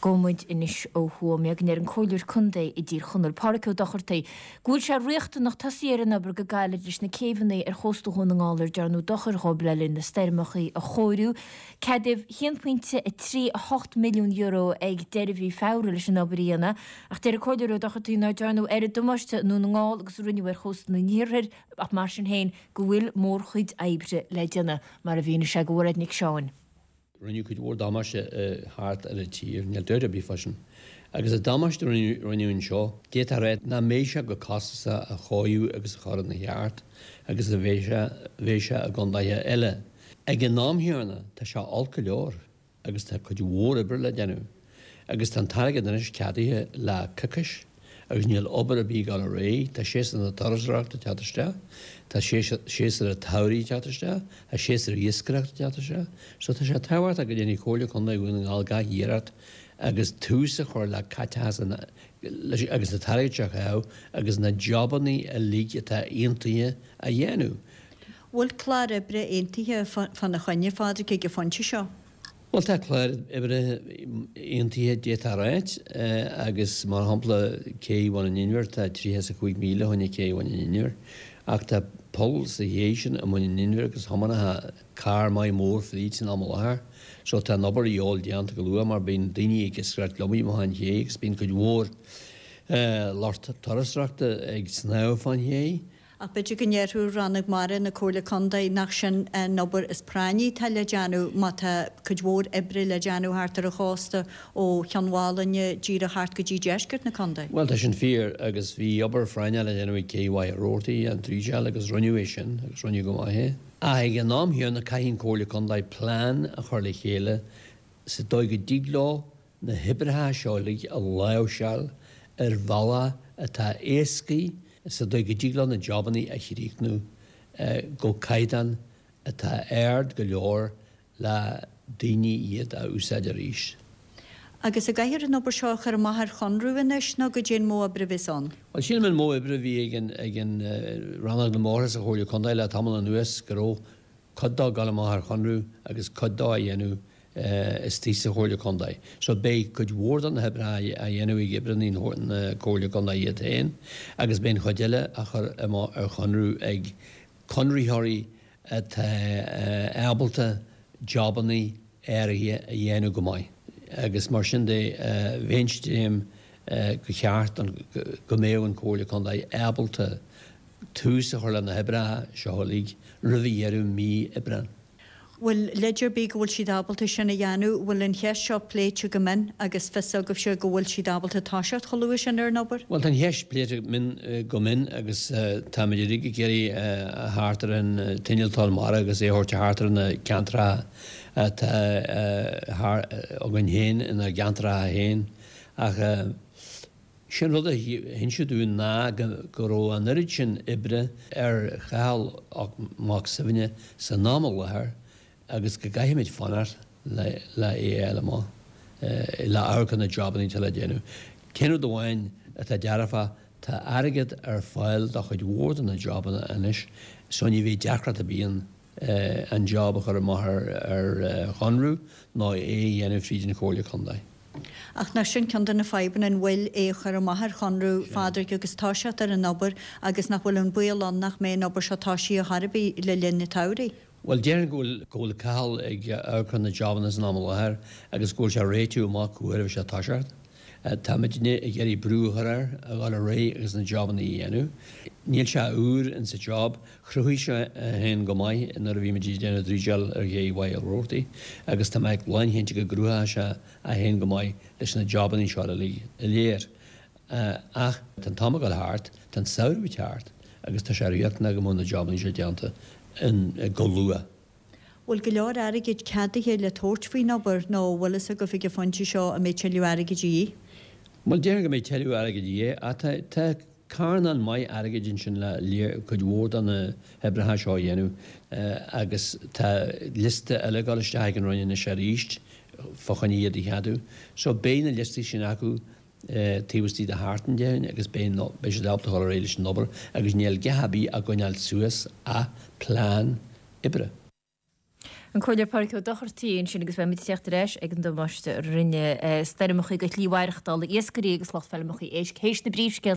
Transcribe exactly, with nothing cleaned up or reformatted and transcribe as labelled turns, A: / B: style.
A: Gabhfaidh muid anois ó Thuaim go ndeir an Comhairleoir Contae i dTír Chonaill, Pádhraic Ó Dochartaigh, go bhfuil sé riachtanach tosaí ar an obair go gairid leis na céibheanna ar chósta Dhún na nGall ar dearnadh dochar dhóibh le linn na stoirmeacha a chóiriú. Ceadaíodh a haon pointe a trí a hocht milliún euro ag deireadh mhí Feabhra leis an obair a dhéanamh, ach deir an Comhairleoir Ó Dochartaigh nár dearnadh oiread damáiste i nDún na nGall agus a rinneadh ar chósta an iarthair ach mar sin féin go bhfuil mórchuid oibre le déanamh, mar a mhínigh sé do Mhairéad Nic Seáin.
B: Rinneadh cuid mhór damáiste thart ar an tír, níl dabht ar bith fá sin. Agus an damáiste a rinneadh anseo, d'fhéadfá a rá nach mbeidh sé chomh costasach a chóiriú agus a chur ina cheart agus a bheidh sé bheidh sé i gcontaetha eile. Ag an am chéanna, tá sé olc go leor agus tá cuid mhór oibre le déanamh. Agus tá an t-airgead anois ceadaithe le coicís agus níl obair ar bith ag dul ar aghaidh. Tá séasúr na turasóireachta ag teacht isteach, tá séasúr an tsamhraidh ag teacht isteach, tá séasúr iascaireachta ag teacht isteach. So tá sé tábhachtach go ndéanfaidh Comhairle Contae Dhún na nGall gach iarracht agus tús a chur le caiteachas agus an t-airgead seo a chaitheamh agus na jobannaí uilig atá aontaithe a dhéanamh.
C: Bhfuil clár oibre aontaithe fána choinne, a Phádraig, ag an phointe seo?
B: Bhuel, tá clár oibre aontaithe d'fhéadfá a ráit agus mar shampla cé Bhun an Inbhir, tá tríocha is a cúig míle fá choinne cé Bhun an Inbhir ach tá poll sa ché sin i mBun an Inbhir agus thiomáinfeadh carr maith mór fríd san am i láthair so tá an obair a dhíobháil déanta go luath mar bíonn daoine ag iascaireacht liomaí amach an ché agus bíonn cuid mhór lucht turasóireachta ag snámh fán ché.
C: Ach b'fhéidir go ndéarfadh Rannóg Mara na Comhairle Contae nach sin an obair is práinní atá le déanamh má tá cuid mhór oibre le déanamh thart ar an chósta ó Chionn Mhálanna díreach thart go dtí deisceart na contae.
B: Bhuel, tá sin fíor agus bhí obair phráinneach le déanamh ag Cé Mhachaire Rabhartaigh, an dríseáil agus rinneadh é sin agus rinneadh go maith é. Ach ag an am chéanna caithfidh an Comhairle Contae plean a chur le chéile sa dóigh go dtig leo na hoibreacha seo uilig a láimhseáil ar bhealach atá éascaí sa dóigh go dtig leo na jobannaí a chríochnú go caighdeán atá ard go leor le daoine iad a úsáid arís.
C: Agus an gcaithfear an obair seo a chur amach ar chonradh anois nó goidé an modh oibre a bheas ann?
B: Bhuel, sílim an modh oibre a bhí ag an ag an Rannóg na mBóithre sa Chomhairle Contae le tamall anuas go raibh cuid dó ag dul amach ar chonradh agus cuid dó á dhéanamh istigh sa Chomhairle Contae. So beidh cuid mhór de na hoibreacha á dhéanamh ag oibreanna na Comhairle Contae iad féin agus beidh an chuid eile á chur amach ar chonradh ag conraitheoirí atá ábalta jobannaí áirithe a dhéanamh go maith. Agus mar sin de bheinnse den tuairim go cheart go mbeadh an Comhairle Contae ábalta tús a chur le na hoibreacha seo uilig roimh dheireadh mí Aibreáin.
C: Bhfuil leid ar bith go bhfuil siad ábalta sin a dhéanamh? Bhfuil an cheist seo pléite go mion agus fios agaibhse go bhfuil siad ábalta toiseacht chomh luath sin ar an obair?
B: Bhuel, tá an cheist pléite go mion agus táimid uilig ag iarraidh a theacht ar an t-innealtóir mara agus é a thabhairt thart ar na ceantracha atá againn féin inár gceantracha féin ach Sin rud a hinseadh dúinn ná go raibh an oiread sin oibre ar Chathal Mac Suibhne san am i láthair agus go gcaithfimid fanacht le é a fháil amach, le amharc ar na jobannaí atá le déanamh. An t-aon rud amháin atá dearfach, tá airgead ar fáil do chuid mhór de na jobanna anois so ní bheidh deacracht ar bith ann an job a chur amach ar chonradh nó é a dhéanamh fríd an Chomhairle Contae.
C: Ach nach sin ceann de na fadhbanna, an bhfuil é a chur amach ar chonradh, Phádraig, agus toiseacht ar an obair agus nach bhfuil an baol ann nach mbeidh an obair seo toisithe chor ar bith le linn an tsamhraidh?
B: Bhuel, déarfainn go bhfuil, go bhfuil Cathal ag amharc ar na jobanna san am i láthair agus go bhfuil sé ag réitiú amach cá huair a bheidh sé ag toiseacht. Táimidne ag iarraidh brú a chur air a dhul ar aghaidh agus na jobanna a dhéanamh. Níl sé úr insa job. Chruthaigh sé é féin go maith nuair a bhí muid ag déanamh dríseáil ar ché Mhachaire Rabhartaigh agus tá mé lánchinnte go gcruthóidh sé é féin go maith leis na jobanna seo uilig go léir. Ach tá an t-am ag dul thart, tá an samhradh ag teacht agus tá sé riachtanach go mbeadh na jobanna seo déanta go luath.
C: Bhfuil go leor airgid ceadaithe le tabhairt faoin obair nó an bhfuil fhios agaibh ag an phointe seo an mbeidh tuilleadh airgid de dhíth?
B: Bhuel, déarfainn go mbeidh tuilleadh airgid de dhíth ach tá tá carnán maith airgid ansin le cuid mhór de na hoibreacha seo a dhéanamh agus tá liosta eile ag dul isteach ag an Roinn anois arís fá choinne iad a cheadú. So beidh na liostaí sin acu taobh istigh de sheachtain déarfainn agus beidh beidh siad ábalta dul ar aghaidh leis an obair agus níl a dhath ar bith á gcoinneáil suas ach plean oibre.
A: An Comhairleoir Pádraig Ó Dochartaigh ansin agus beimid ag teacht ar ais ag an damáiste a rinne stoirmeacha do shlí mhaireachtála iascairí agus lucht feirmeacha éisc théis na bpríomhscéalta.